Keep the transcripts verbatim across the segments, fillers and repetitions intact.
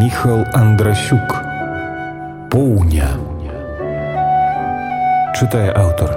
Міхал Андрасюк. Поўня. Чытае аўтар.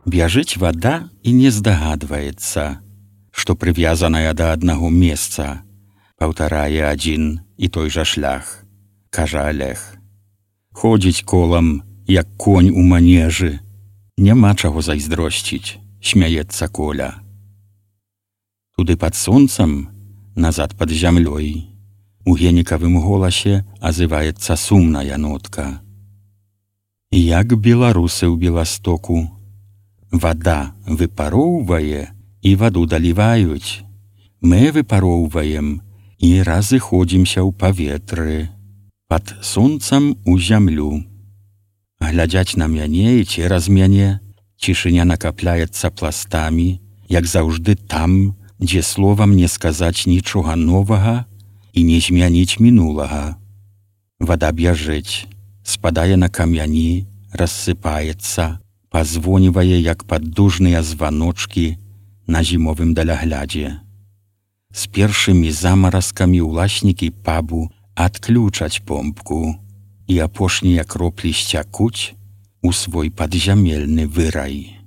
Бяжыць вада і не здагадваецца, што прывязаная да аднаго месца, паўтарае адзін і той жа шлях, кажа Алег. Ходзіць колам, як конь у манежы, няма чаго зайздросціць, смяецца Коля. Туды пад сонцам, назад пад зямлёй, у генікавым голасе азываецца сумная нотка. Як беларусы ў Беластоку, вада выпароўвае і ваду даліваюць. Мы выпароўваем і разыходзімся ў паветры, пад сонцам у зямлю. Глядзяць на мяне і цераз мяне, цішыня накапляецца пластамі, як заўжды там, дзе словам не сказаць нічога новага і не змяніць мінулага. Вада бяжыць, спадае на камяні, рассыпаецца, пазвонівае, як паддужныя званочкі на зімовым даляглядзе. З першымі замаразкамі ўласнікі пабу адключаць помпку, і апошнія кроплі сцякуць у свой падзямельны вырай.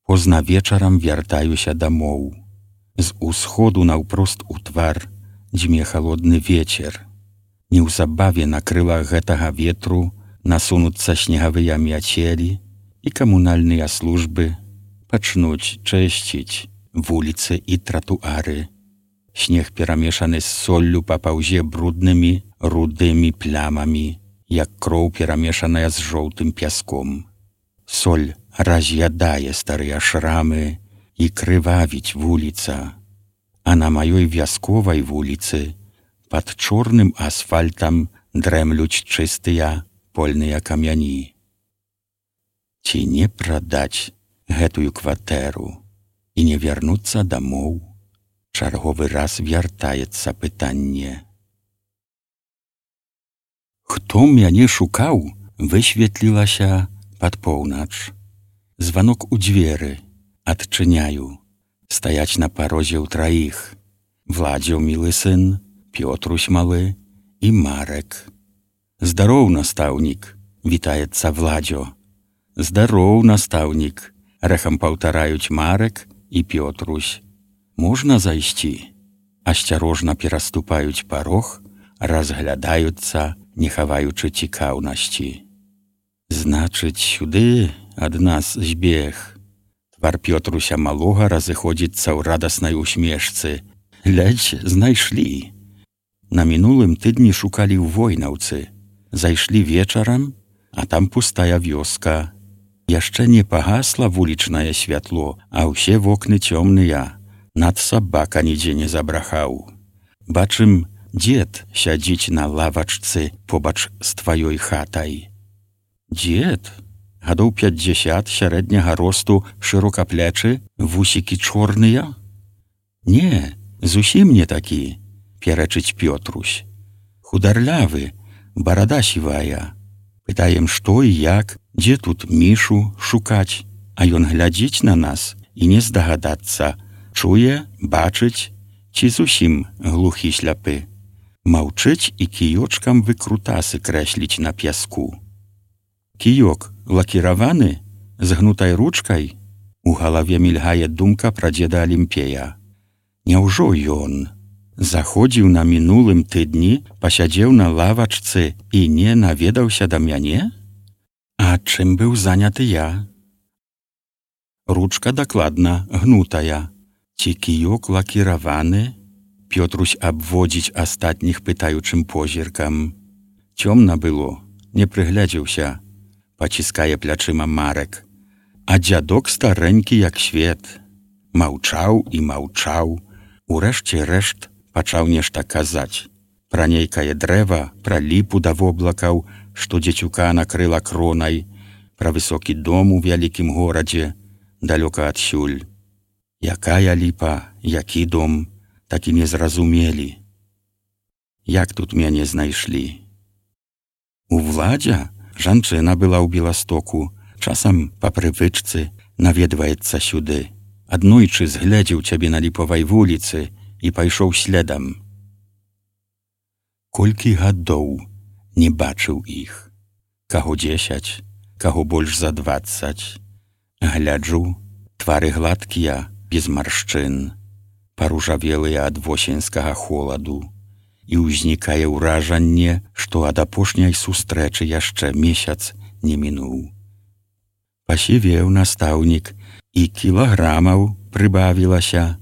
Позна вечарам вяртаюся дамоў. З усходу наўпрост у твар дзьме халодны вецер. Неўзабаве на крылах гэтага ветру насунуцца снегавыя мяцелі, і камунальныя службы пачнуць чысціць вуліцы і тратуары. Снег перамешаны з соллю папаўзе бруднымі рудымі плямамі, як кроў перамешаная з жоўтым пяском. Соль раз'ядае старыя шрамы і крывавіць вуліца, а на маёй вясковай вуліцы пад чорным асфальтам дрэмлюць чыстыя польныя камяні. Ці не прадаць гэтую кватэру і не вярнуцца дамоў? Чарговы раз вяртаецца пытанне. Хто мяне шукаў, высветлілася пад поўнач. Званок у дзверы, адчыняю. Стаяць на парозе ў траіх. Владзіў мілы сын, Пётрусь малы і Марек. Здароў, настаўнік, вітаецца Владзё. Здароў, настаўнік, рэхам паўтараюць Марек і Пётрусь. Можна зайсці? Асцярожна пераступаюць парог, разглядаюцца, не хаваючы цікаўнасці. Значыць, сюды ад нас збег. Твар Пётруся малога разыходзіцца ў радаснай усмешцы. Ледзь знайшлі. На мінулым тыдні шукалі ў Войнаўцы. Зайшлі вечарам, а там пустая вёска. Яшчэ не пагасла вулічнае святло, а ўсе вокны цёмныя. Над сабака нідзе не забрахаў. Бачым, дзед сядзіць на лавачцы побач з тваёй хатай. Дзед? Гадоў пяцьдзясят, сярэдняга росту, шырокаплечы, вусікі чорныя? Не, зусім не такі, пярэчыць Пётрусь. Хударлявы, барада сівая. Пытаем, што і як, дзе тут Мішу шукаць, а ён глядзіць на нас і не здагадацца, чуе, бачыць, ці зусім глухі сляпы. Маўчыць і кіёчкам выкрутасы крэсліць на пяску. Кіёк лакіраваны, з гнутай ручкай? У галаве мільгае думка пра дзеда Алімпея. Няўжо ён заходзіў на мінулым тыдні, пасядзеў на лавачцы і не наведаўся да мяне? А чым быў заняты я? Ручка дакладна гнутая. Ці кіёк лакіраваны? Пётрусь абводзіць астатніх пытаючым позіркам. Цёмна было, не прыглядзеўся. Паціскае плячыма Марек. А дзядок старэнькі, як свет. Маўчаў і маўчаў. Урэшце рэшт пачаў нешта казаць. Пра нейкае дрэва, пра ліпу да воблакаў, што дзецюка накрыла кронай, пра высокі дом у вялікім горадзе, далёка адсюль. Якая ліпа, які дом, так і не зразумелі, як тут мяне знайшлі. У Владзя жанчына была ў Беластоку, часам па прывычцы наведваецца сюды. Аднойчы згледзеў цябе на Ліпавай вуліцы і пайшоў следам. Колькі гадоў не бачыў іх. Каго дзесяць, каго больш за дваццаць. Гляджу, твары гладкія, без маршчын, паружавелыя ад восеньскага холаду, і ўзнікае ўражанне, што ад апошняй сустрэчы яшчэ месяц не мінуў. Пасівеў настаўнік, і кілаграмаў прыбавілася,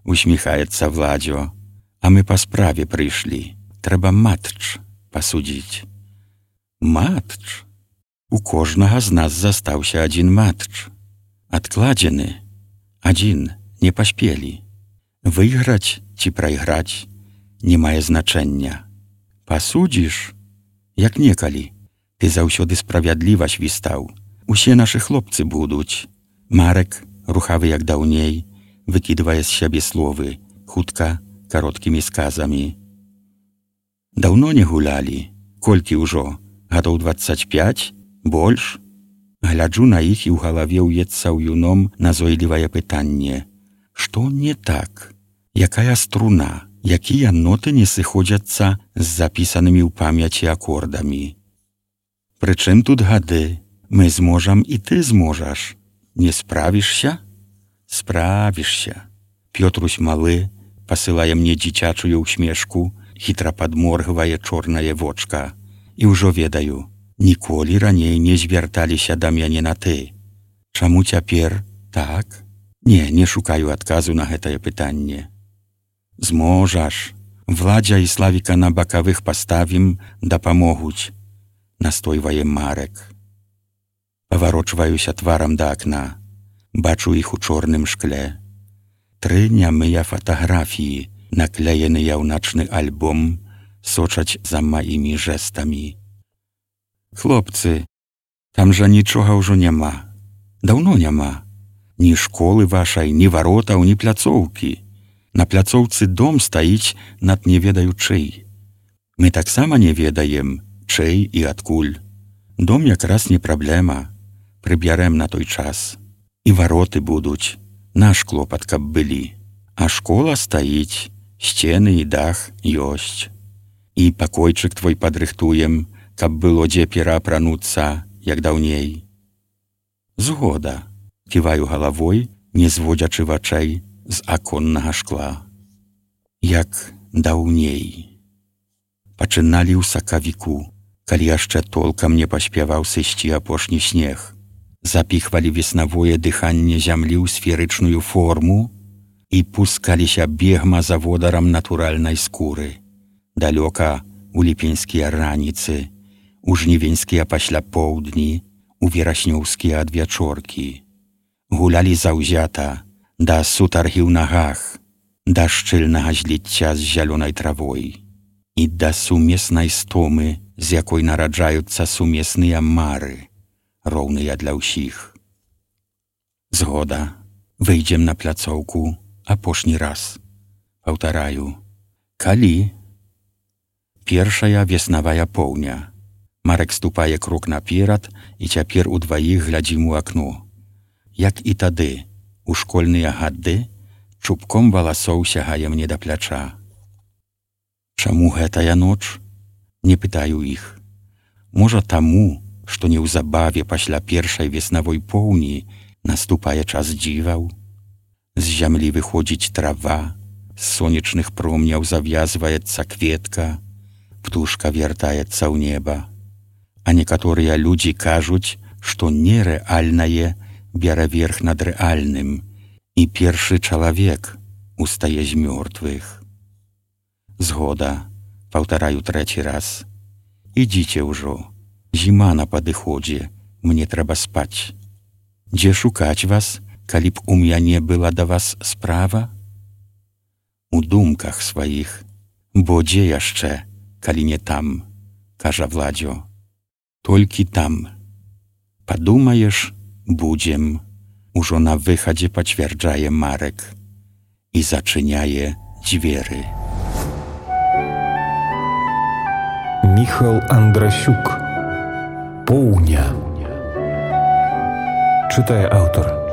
усміхаецца Владзё. А мы па справе прыйшлі. Трэба матч пасудзіць. Матч? У кожнага з нас застаўся адзін матч. Адкладзены. Адзін не паспелі. Выйграць ці прайграць не мае значэння. Пасудзіш, як некалі. Ты заўсёды справядліва свістаў. Усе нашы хлопцы будуць. Марек, рухавы як даўней, выкідвае з сябе словы, хутка, кароткімі сказамі. Даўно не гулялі. Колькі ўжо? Гадоў дваццаць пяць? Больш? Гляджу на іх, і ў галаве ўецца ў юном назойлівае пытанне. Што не так? Якая струна? Якія ноты не сыходзяцца з запісанымі ў памяці акордамі? Прычым тут гады? Мы зможам, і ты зможаш. Не справішся? Справішся. Пётрусь малы пасылае мне дзіцячую ўсмешку, хітра падморгвае чорнае вочка. І ўжо ведаю, ніколі раней не звярталіся да мяне на ты. Чаму цяпер так? Не, не шукаю адказу на гэтае пытанне. Зможаш. Владзя і Славіка на бакавых паставім, дапамогуць. Настойвае Марек. Паварочваюся тварам да акна. Бачу іх у чорным шкле. Тры нямыя фатаграфіі, наклееныя ў начны альбом, сочаць за маімі жэстамі. Хлопцы, там жа нічога ўжо няма. Даўно няма. Ні школы вашай, ні варотаў, ні пляцоўкі. На пляцоўцы дом стаіць над не ведаю чый. Мы таксама не ведаем, чый і адкуль. Дом якраз не праблема. Прыбярем на той час. І вароты будуць. Наш клопат, каб былі. А школа стаіць, сцены і дах ёсць. І пакойчык твой падрыхтуем, каб было дзе пераапрануцца, як даўней. Згода. Ківаю галавой, не зводзячы вачэй з аконнага шкла. Як даўней. Пачыналі ў сакавіку, калі яшчэ толкам не паспяваў сысці апошні снег. Запіхвалі веснавое дыханне зямлі ў сферычную форму і пускаліся бегма за водарам натуральнай скуры. Далёка у ліпеньскія раніцы, у жнівеньскія пасля поўдні, у вераснёўскія адвячоркі. Гулялі заўзята, да сутаргі ў нагах, да шчыльнага зліцця з зялёнай травой і да сумеснай стомы, з якой нараджаюцца сумесныя мары, роўныя для ўсіх. Згода. Выйдзем на пляцоўку апошні раз. Паўтараю. Калі? Першая веснавая поўня. Марек ступае крок наперад, і цяпер удваіх глядзім у акно. Як і тады, у школьныя гады, чубком валасоў сягае мне да пляча. Чаму гэтая ноч? Не пытаю іх. Можа таму, што неўзабаве пасля першай веснавой поўні наступае час дзіваў. З зямлі выходзіць трава, з сонечных промняў завязваецца кветка, птушка вяртаецца ў неба. А некаторыя людзі кажуць, што нерэальнае бярэ верх над рэальным, і першы чалавек устае з мёртвых. Згода, паўтараю трэці раз. Ідзіце ўжо. Зіма на падыходзе, мне трэба спаць. Дзе шукаць вас, калі б у мяне была да вас справа? У думках сваіх, бо дзе яшчэ, калі не там, кажа Владзё. Толькі там. Падумаеш, будзем. Ужо на выхадзе пацвярджае Марек і зачыняе дзверы. Міхал Андрасюк. Поўня. Чытае аўтар.